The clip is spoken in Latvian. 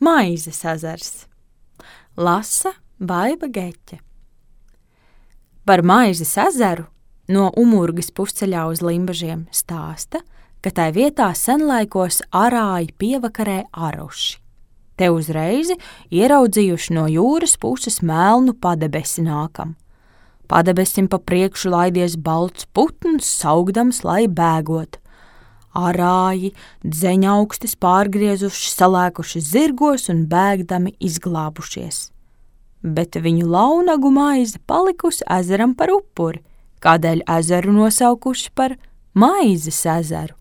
Maizes ezers. Lasa Baiba Geķe. Par Maizes ezeru no Umurgas pusceļā uz Limbažiem stāsta, ka tai vietā senlaikos arāji pievakarē aruši. Te uzreiz ieraudzījuši no jūras puses melnu padebesi nākam. Padebesim pa priekšu laidies balts putns, saugdams, lai bēgot. Arāji dzeņaukstis pārgriezuši, salēkuši zirgos un bēgdami izglābušies. Bet viņu launagu maize palikusi ezeram par upuri, kādēļ ezeru nosaukuši par Maizes ezeru.